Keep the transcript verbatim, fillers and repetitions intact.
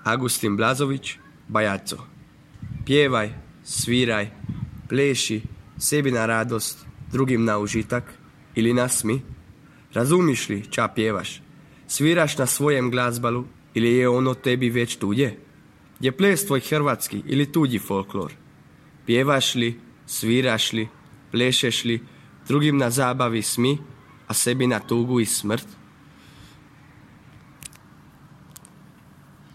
Agustin Blazović, Bajaco. Pjevaj, sviraj, pleši, sebi na radost, drugim na užitak ili nasmi. Razumiš li ča pjevaš? Sviraš na svojem glazbalu ili je ono tebi već tuđe? Je ples tvoj hrvatski ili tuđi folklor? Pjevaš li, sviraš li, plešeš li, drugim na zabavi smi, a sebi na tugu i smrt?